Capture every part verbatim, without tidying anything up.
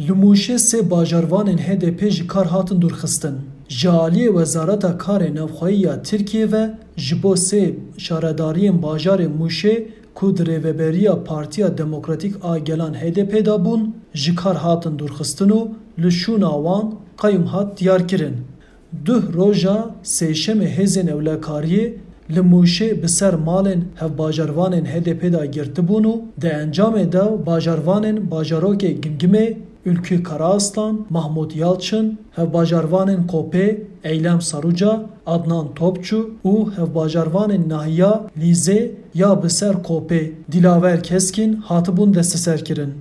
Li Mûşê sê bajarvanên H D P ji kar hatin dûrxistin. Ji aliyê Wezareta Karê Navxweyî ya Tirkiyê ve ji bo sê şaredariyên bajarê Mûşê ku di rêveberiya Partiya Demokratîk a Gelan H D P de bûn, ji kar hatin dûrxistin û li şûna wan qeyûm hat diyarkirin. Duh roja sêşemê hêzên ewlekariyê li Mûşê bi ser malên hevbajarvanên H D P de girtibûn û di encamê de bajarvanên bajarokê Gimgimê, Ülkü Karaaslan, Mahmut Yalçın, hevbajarvanên Kopê, Eylem Saruca, Adnan Topçu û hevbajarvanên nahiya Lîzê ya bi ser Kopê, Dilaver Keskin, hatibûn desteserkirin.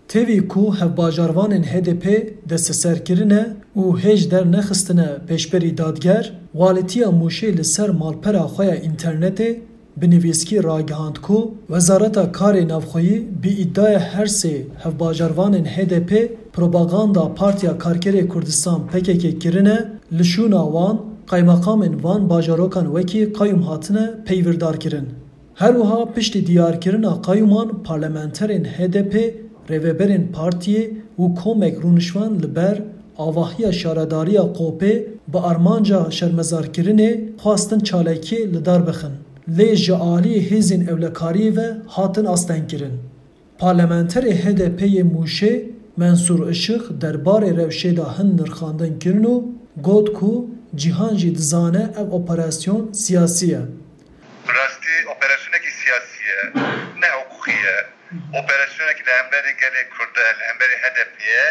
Tevî ku hevbajarvanên H D P desteser kirine û hêj dernexistine pêşberî dadger, Walîtiya Mûşê li ser malpera xwe ya înternetê bi nivîskî ragihand ku Wezareta Karê Navxweyî bi îdiaya her sê hevbajarvanên H D P propaganda Partiya Karkerê Kurdistan P K K kirine, li şûna wan qeymeqamên van bajarokan wekî qeyûm hatine peywirdarkirin. Her wiha piştî diyarkirina qeyûman parlamenterên H D P, rêveberên partiyê û komek rûniştvan li ber avahiya şaredariya Qopê bi armanca şermezarkirinê xwestin çalakiyê li dar bixin. Lê ji aliyê hêzên ewlekariyê ve hatin astengkirin. Parlamenterê H D P yê Mûşê Mensûr Işık derbarê rewşê de hin nirxandin kirin û got ku cîhan jî dizane ev operasyon siyasî ye. Bi rastî operasyonekî siyasî ye, ne hiqûqî ye. Operasyonekî li hemberî gelê Kurd e, li hemberî H D P ye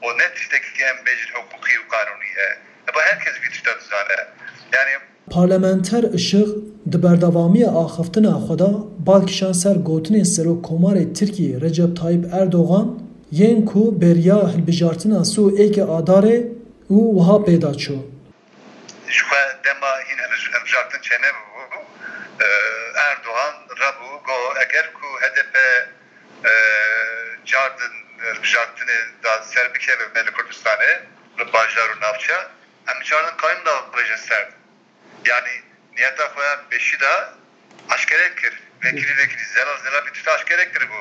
û ne tiştekî em bêjin hiqûqî û qanûnî ye. Eba her kes vî tişta dizane. Yanî Parlamenter Işık di berdewamiya axiftina xwe de bal kişand ser gotinên Serokkomarê Tirkiyê Recep Tayyip Erdogan yên ku beriya hilbijartina sî û êkê Adarê û wiha pê de çû. Ji xwe dema hîn hilbijartin çênebû, Erdogan rebû got, eger ku H D P car din hilbijartinê de ser bikeve me li Kurdistanê, li bajar û navçe, em niçarin qeyûm davêjin ser. Yanî niyeta xwe pêşî de aşkere kir. Vekirî vekirî, zelal zelal vî tişta aşkere kiribû.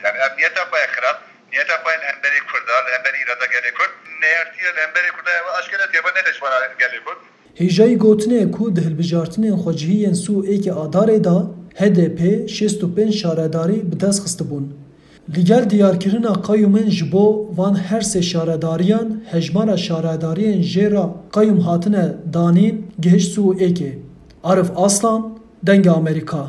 Yanî ev niyeta xwe ye xirab, niyeta xwe ye li hemberî Kurda, li hemberî îrada gelê Kurd. Neyartiye li hemberî Kurda ev aşkere diye, ev ne leşmana gelê Kurd. Hêjayî gotinê ye ku di hilbijartinên xwecihî yên sî û êkê Adarê de H D P şêst û pênc şaredarî bi dest xistibûn. Li gel diyarkirina qeyûmên ji bo van her sê şaredariyan hejmara şaredariyên jê re qeyûm hatine danîn gihişt sî û êkê. Arif Aslan, Dengê Amerîka.